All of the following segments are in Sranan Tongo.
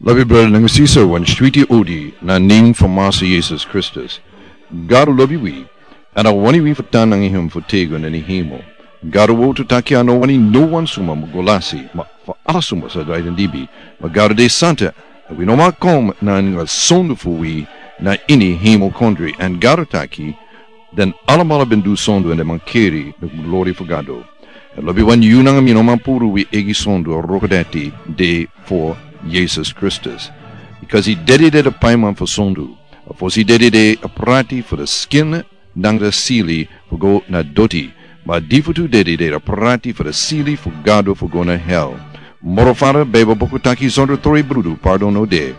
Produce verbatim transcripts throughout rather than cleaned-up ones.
Lobi brada nanga sisa, wan switi odi na nen fu Masa Yesus Kristus. Gado lobi wi, èn a wani wi fu tan nanga hem fu tego na ini hemel. Gado wowtu taki a no wani no wan suma mu go lasi, ma fu ala suma sa drai den libi. Ma Gado de santa, èn wi no man kon na ini sondu fu wi na ini hemel kondre, èn Gado taki, den alamala ben du sondu èn den man keri na glori fu Gado. Èn lobi wan, yu nanga mi no man puru wi eigi sondu, a wroko dati de fu Yesus Kristus. Bikasi a dede de a paiman fu sondu. A fosi dede de a prati fu a skin nanga a sili fu go na doti. Ma a difutu dede de a prati fu a sili fu Gado fu go na hel. Moro fara, Beibel buku taki, sondro tron brudu pardon no de.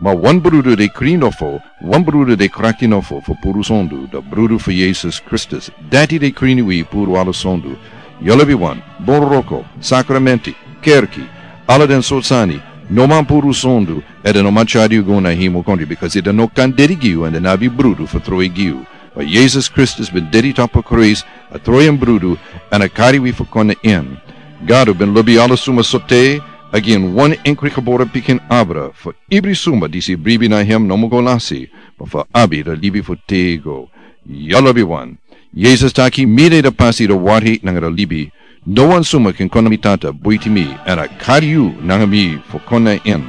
Ma wan brudu de krin nofo, wan brudu de krakti nofo fu puru sondu, a brudu fu Yesus Kristus. Dati de krin wi puru ala sondu. Yu lobi wan, bun wroko, sakramenti, kerki, ala den sortu sani, no man puru sondu, èn den no man tyari yu go na hemel kondre, bikasi den no kan dede gi yu, èn den no abi brudu fu tron gi yu. Ma Yesus Kristus ben dede tapu a krusu, a tron brudu, èn a kari wi fu kon na en. Gado ben lobi ala suma sote, a gi en wan enkri gebore pikin abra, fu ibri suma disi bribi na hem no mu go lasi, ma fu abi a libi fu tego. Yu lobi wan. Yesus taki, mi de a pasi, a wari nanga a libi. No wan suma kan kon na mi Tata buiti mi, èn a kari yu nanga mi fu kon na en.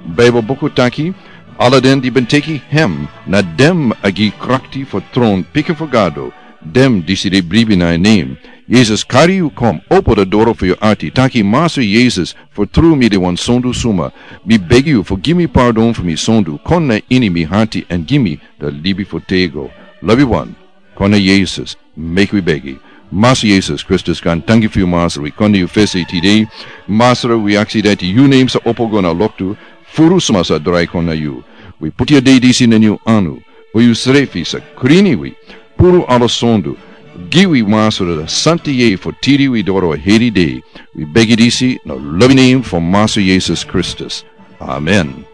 Beibel buku taki, ala den di ben teki hem, na dem a gi krakti fu tron pikin fu Gado, den disi de bribi na en nen. Yesus kari yu kon, opo a doro fu yu ati, taki, Masa Yesus, fu tru mi de wan sondu suma. Mi begi yu fu gi mi pardon fu mi sondu, kon na ini mi ati èn gi mi a libi fu tego. Lobi wan. Kon na Yesus, meki wi begi. Masa Yesus Kristus, kon tangi fu yu, Masa, wi kon na yu fesi tide. Masa, wi aksi dati yu nen sa opo go na loktu, fu ala suma sa drai kon na yu. Wi puti a dei disi na yu anu, fu yu srefi sa krini wi, puru ala sondu. Gi wi, Masa, a santa yeye fu tiri wi doro a heri dei. Wi begi disi na lobi nen fu Masa Yesus Kristus. Amen.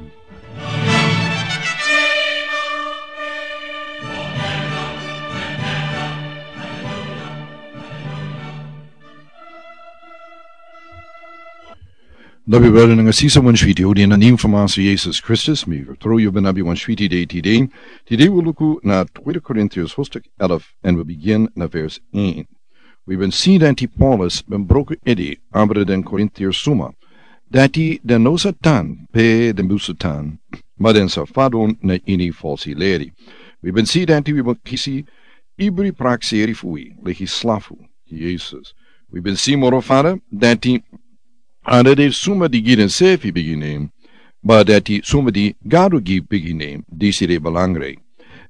Lobi brada nanga sisa, wan switi odi na nen fu Masa Yesus Kristus. Mi vertrouw yu ben abi wan switi dei tide. Tide wi luku na Tweede Korintiërs hoofdstuk elf en wi begin na vers één. Wi ben si dati Paulus ben broko ede abra den Korintiërs suma, dati den no sa tan pe den musu tan, ma den sa fadon na ini falsi leri. Wi ben si dati wi ben kisi ibri prakseri fu wi leki slafu Yesus. Wi ben si moro fara dati a no de suma di gi densrefi bigi nen, ma dati suma di Gado gi bigi nen, disi de belangrijk.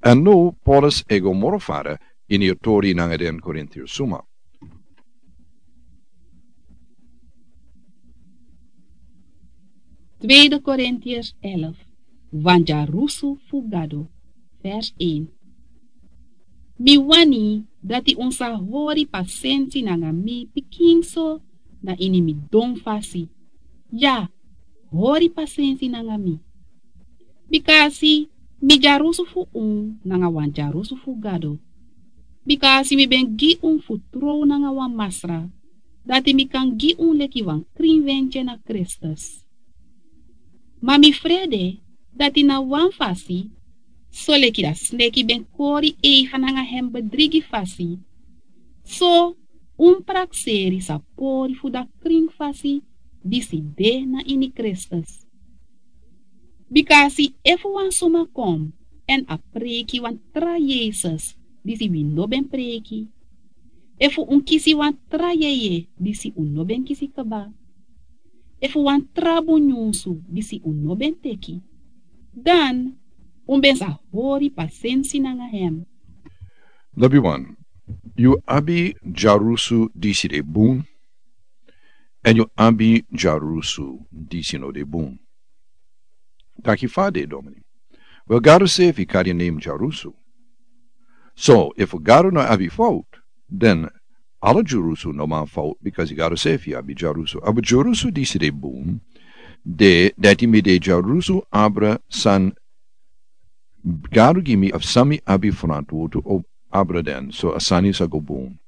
Èn now Paulus e go moro fara ini a tori nanga den Korintiërs suma. Tweede Korintiërs elf, wan dyarusu fu Gado, vers één. Mi wani dati un sa hori pasensi nanga mi pikinso na ini mi don fasi. Ya, hori pasensi nanga mi. Bikasi mi dyarusu fu un nanga wan dyarusu fu Gado. Bikasi mi ben gi un fu trow nanga wan masra, dati mi kan gi un leki wan krin wentye na Kristus. Ma mi frede dati na wan fasi, soleki a sneki ben kori Eva nanga hem bedrigi fasi, so un prakseri sa pori fu a krin fasi disi de na ini Kristus. Bikasi efu wan suma kon èn a preiki wan tra Yesus disi wi no ben preiki, efu un kisi wan tra yeye disi un no ben kisi kaba, efu wan tra bun nyunsu disi un no ben teki, dan un ben sa hori pasensi nanga hem. Lobi wan, yu abi dyarusu disi de bun, èn yu abi dyarusu disi no de bun. Taki fa de, domini. Wel, Gado srefi kari en nen dyarusu. So efu Gado no abi fout, dan ala dyarusu no man fout, bikasi Gado srefi abi dyarusu. Abra dyarusu disi de bun, de dati mi de dyarusu abra san Gado gi mi, of san mi abi frantwortu abra den, so a sani sa go bun.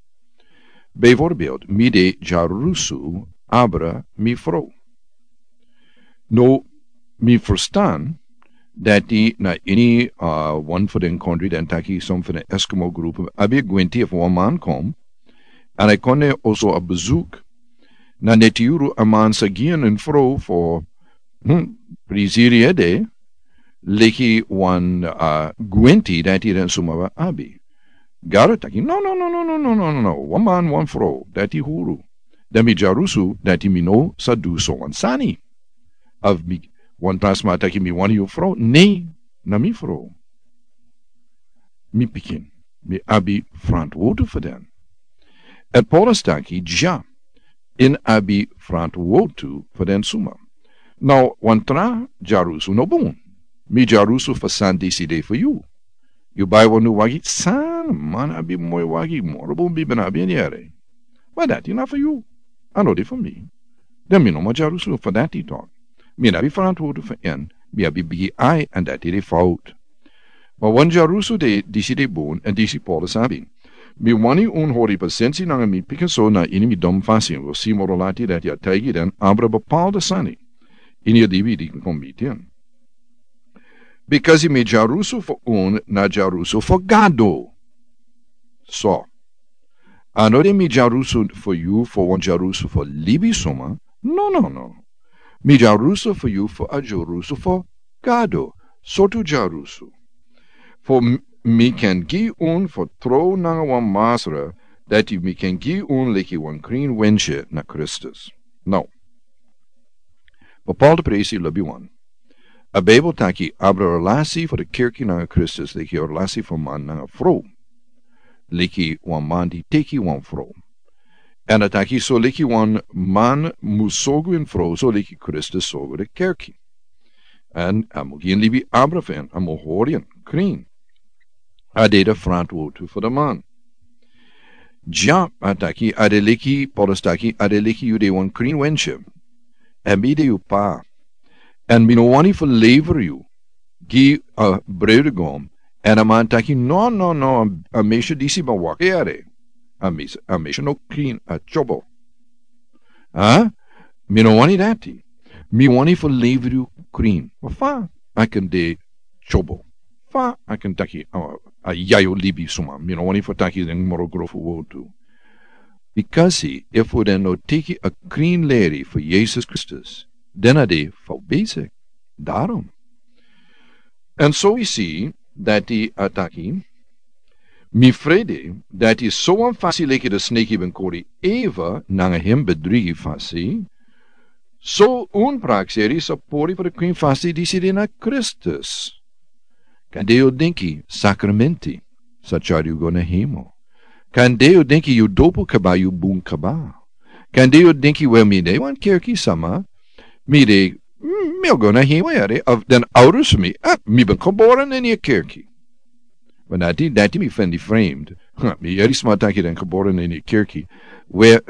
Bijvoorbeeld, mi de dyarusu abra mi frow. No, Mi frustan dati na ini wan fu den kondri den taki som fu den Eskimo grupu abi gwenti efu wan man kom, an a kone oso a bezuk na neti yuru a man sa gi en en fro fo prisiri ede leki wan gwenti dati den suma abi. Gado taki no no no no no no no no no wan man wan fro dati huru. Dan mi jarusu dati mi no sa du so wan sani. Of mi wan trasma taki mi wani yu fro nei na mi fro. Mi pikin mi abi frantwotu fu den. An Paulus taki ja in abi frantwotu fu den suma. Now wan tra jarusu no bun. Mi jarusu fu sani disi de fu yu. Yu bai wan nu wagi san man abi moi wagi moro bun bibi na abi en yere. Ma dati na fu yu. A no de fu mi. Dan mi no man jarusu fu dati tok. Mi na abi frantwotu fu en. Mi abi bigi ai an dati de fout. Ma wan jarusu de disi de bun an disi Paulus abi. Mi wani un hori pasensi nanga mi pikin so na ini mi dom fasi un go si moro lati dati a taigi den abra bapalda sani. Ini a dibi di kon mi tin. Bikasi mi jarusu fu un na jarusu fu Gado. So a no de mi jarusu fu yu fu wan jarusu fu libi suma. No no no. Mi jarusu fu yu fu a jarusu fu Gado. Sotu jarusu fu mi ken gi un fu tro nanga wan masra dati mi ken gi un leki wan krin wenche na Kristus. No. Bapalda presi lobi wan. A Bijbel taki abra relasi fu de kerki nanga Kristus leki a relasi fu man nanga fro. Leki wan man di teki wan fro. An a taki so leki wan man mu sogu en fro so leki Kristus sogu de kerki. An a mu gi en libi abra fu en a mu hori en krin. A de de frantwotu fu de man. Ja a taki a de leki Paulus taki a de leki yu de wan krin wenche. An mi de yu pa. An mi no wani fu lever yu gi a brudegom. An a man taki no no no. A mesha disi ma waka yare. A mesha no krin a chobo. A mi no wani dati. Mi wani fu lever yu krin ma fa a ken de chobo. Fa a ken taki a yayo libi suma mi no wani fu taki den moro grofu wotu. Bikasi efu den no teki a krin leri fu Yesus Kristus den a de fau besik. Darom. An so wi si dati a taki mi frede dati so wan fasi leki de sneki ben kori Eva nanga hem bedrigi fasi. So un prakseri sapori fu de krin fasi disi de na Kristus. Kan de yu dinki sakramenti sa chari yu go na hemo. Kan de yu dinki yu dopu kaba yu bun kaba. Kan de yu dinki we mi de wan kerki sama. Mi de mi o go na hemo yare of den ouders mi a mi ben kobora na ni a kerki. But na di dati mi fendi framed. Mi yari sma taki den kobora na ni a kerki. We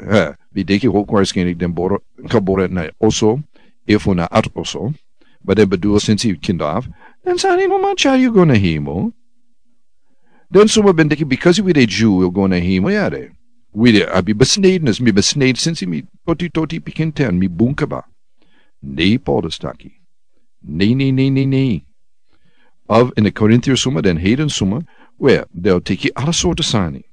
mi deki hokwarskenik den boro kobora na oso. Efu na at oso. But den bedoel sinsi yu kindaf den sani no man chari yu go na hemo. Den suma ben deki bikasi wi de Jew wi o go na hemo yare. Wi de abi besnedenis mi besnede sinsi mi toti toti pikin ten mi bun kaba. Nei Paulus taki nei nei nei nei nei. Of in de Korintier suma den heden suma we del teki ala sorte sani.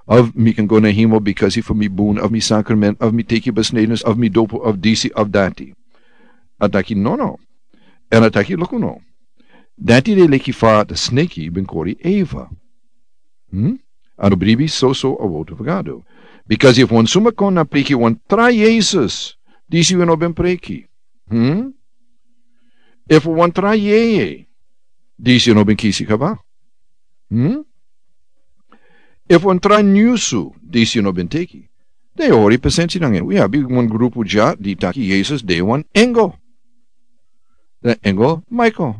Of mi kan go na hemo bikasi fu mi bun of mi sakrament of mi teki besnedenis of mi dopu of disi of dati. A taki no no. An a taki luku no. Dati de leki fa de sneki ben kori Eva. A no bribi soso a wotu fu Gado. Bikasi efu wan suma kon na preki wan tra Yesus disi wi no ben preki. Efu wan tra yeye disi wi no ben kisi kaba. Efu wan tra nyusu disi wi no ben teki. Den hori pasensi nanga en wi abi wan grupu dya di taki Yesus de wan engel. Den engel Michael.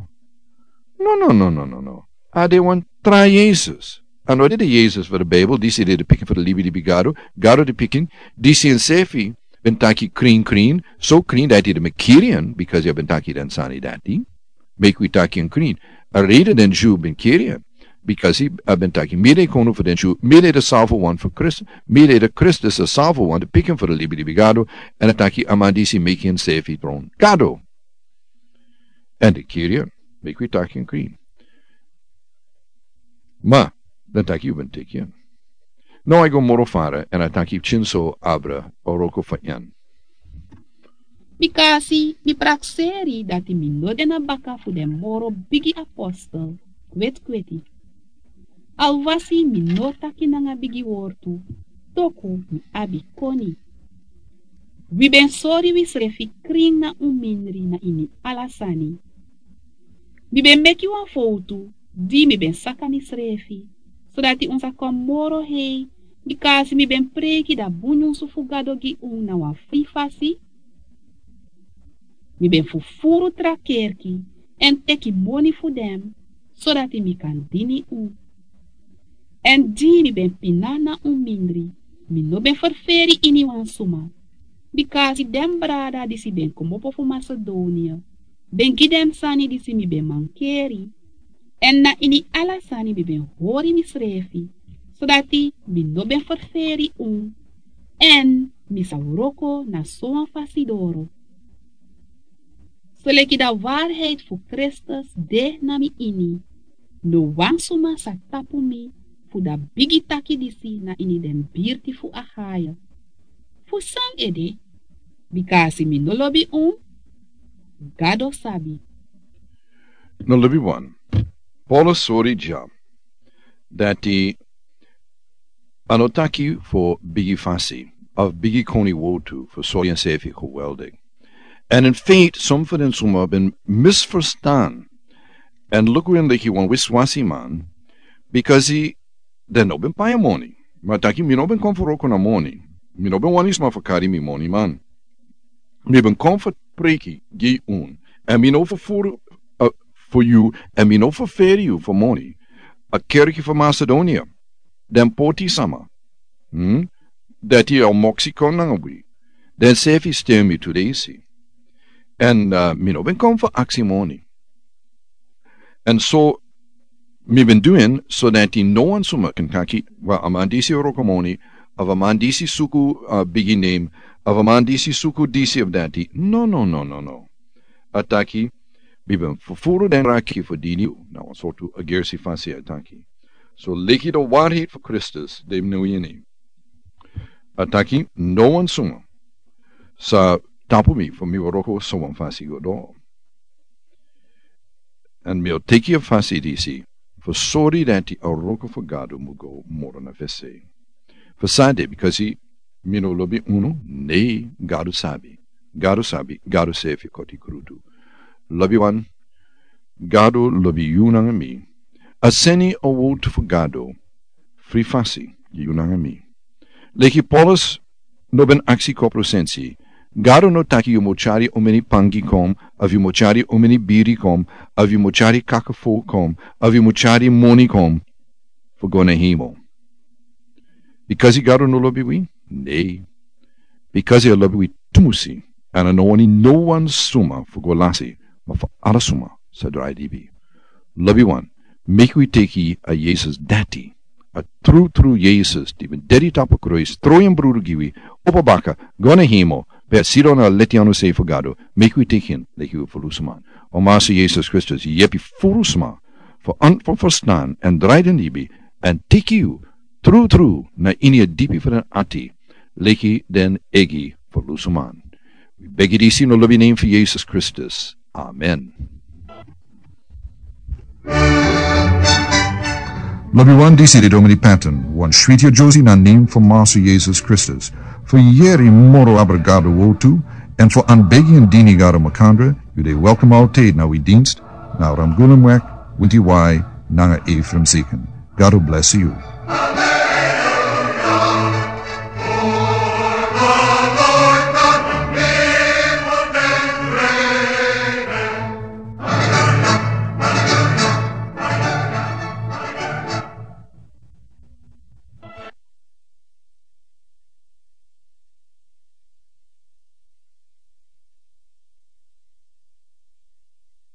No no no no no no. A de wan tra Yesus. A no de de Yesus fu de Bijbel disi de de pikin fu de libi libi Gado. Gado de pikin disi en sefi ben taki krin krin so krin dati de mi kiri en bikasi a ben taki den sani dati. Meki wi taki en krin. A rede den Jew ben kiri en bikasi a ben taki mi de konu fu den Jew mi de de salvo wan fu Kristus. Mi de de Kristus a salvo wan de pikin fu de libi libi Gado. An a taki a man disi meki en sefi tron Gado. Èn den kiri en, meki wi taki en krin. Ma den taki yu ben teki en. Now a e go moro fara èn a taki pikinso abra a wroko fu en. Bika a si mi prakseri dati mi no de na baka fu den moro bigi apostel kwetkweti. Alwasi mi no taki nanga bigi wortu, toku mi abi koni. Wi ben sori wisrefi krin na un mindri na ini ala sani. Mi ben meki wan fowtu di mi ben saka misrefi, sodati un sa kon moro hei, bika a si mi ben preiki da bun nyunsu fu Gado gi un na wan fri fasi. Mi ben fufuru tra kerki èn teki moni fu den, sodati mi kan dini un. Èn di mi ben pina na un mindri, mi no ben ferferi iniwan suma, bika a si den brada disi ben kmopo fu Masedonia ben gi den sani disi mi ben mankeri. Èn na ini ala sani mi ben hori misrefi, sodati mi no ben ferferi un, èn mi sa wroko na sowan fasi doro. Soleki da warheid fu Kristus de na mi ini, no wan suma sa tapu mi fu da bigi taki disi na ini den birti fu Achaia. Fu san ede? Bika a si mi no lobi un, Gado sabi. No lobi wan. Paulus sori dya dati a no taki fu bigi fasi of bigi koni wowtu fu sori ensefi geweldig. Èn in feite, som fu den suma ben misferstan èn luku en leki wan wiswasiman, bikasi den no ben pai en moni. Ma a taki mi no ben kon fu wroko na moni. Mi no ben wani sma fu kari mi moni man. Mi ben kon fu preiki gi un. Èn mi no fufuru, uh, fu yu, èn mi no ferferi yu fu moni. A kerki fu Masedonia, den poti sama, hmm, dati a moksi kon nanga wi, den sefi sten mi tu desi. Èn, uh, mi no ben kon fu aksi moni. Èn so mi ben du en sodati no wan suma kan taki, wel, a man disi wroko moni, of a man disi suku, uh, bigi nem, of a man disi suku disi of dati. No, no, no, no, no. A taki mi ben fufuru den raki fu dini yu na wan sortu a gersi fasi a taki. So leki da warheid fu Kristus de mi no ini. A taki no wan suma sa tapu mi fu mi wroko so wan fasi go doro. Èn mi o teki a fasi disi fu sori dati a wroko fu Gado mu go moro na fesi. Fu san ede? Bikasi mi no lobi unu? Ne, Gado sabi. Gado sabi, Gado sefi koti krutu. Lobiwan, Gado lobi yu nanga mi. A seni a wowtu fu Gado fri fasi gi yu nanga mi. Leki Paulus no ben aksi kopro sensi. Gado no taki yu mu tyari omeni pangi kon, of yu mu tyari omeni biri kon, of yu mu tyari kakafo kon, of yu mu tyari moni kon fu go na hemel. Bikasi Gado no lobi wi? Ne. Bikasi a lobi wi tumusi, èn a no wani no wan suma fu go lasi, ma fu ala suma sa drai dibi. Lobiwan, meki wi teki a Yesus dati, a trutru Yesus di ben dedi tapu kruis, tron en brudu gi wi, opo baka, go na hemel, pe a sidon na a leti anu sei fu Gado. Meki wi teki en leki wi ferlusuman. O Masa Yesus Kristus, yepi ferlusuman fu an, fu ferstan èn drai den dibi èn teki yu trutru na ini a dipi fu den ati, leki den eigi ferlusuman. Wi begi disi na lobi nen fu Yesus Kristus. Amen. Lobiwan, disi de Domini Patton, wan switi a Josie na nen fu Masa Yesus Kristus. Fu yeri moro abra Gado wowtu, èn fu anbegi èn dini Gado makandra, yu de welkom altijd na wi dienst, na Ramgulemweg, winti wai, nanga Ephraim Zieken. Gado bless yu.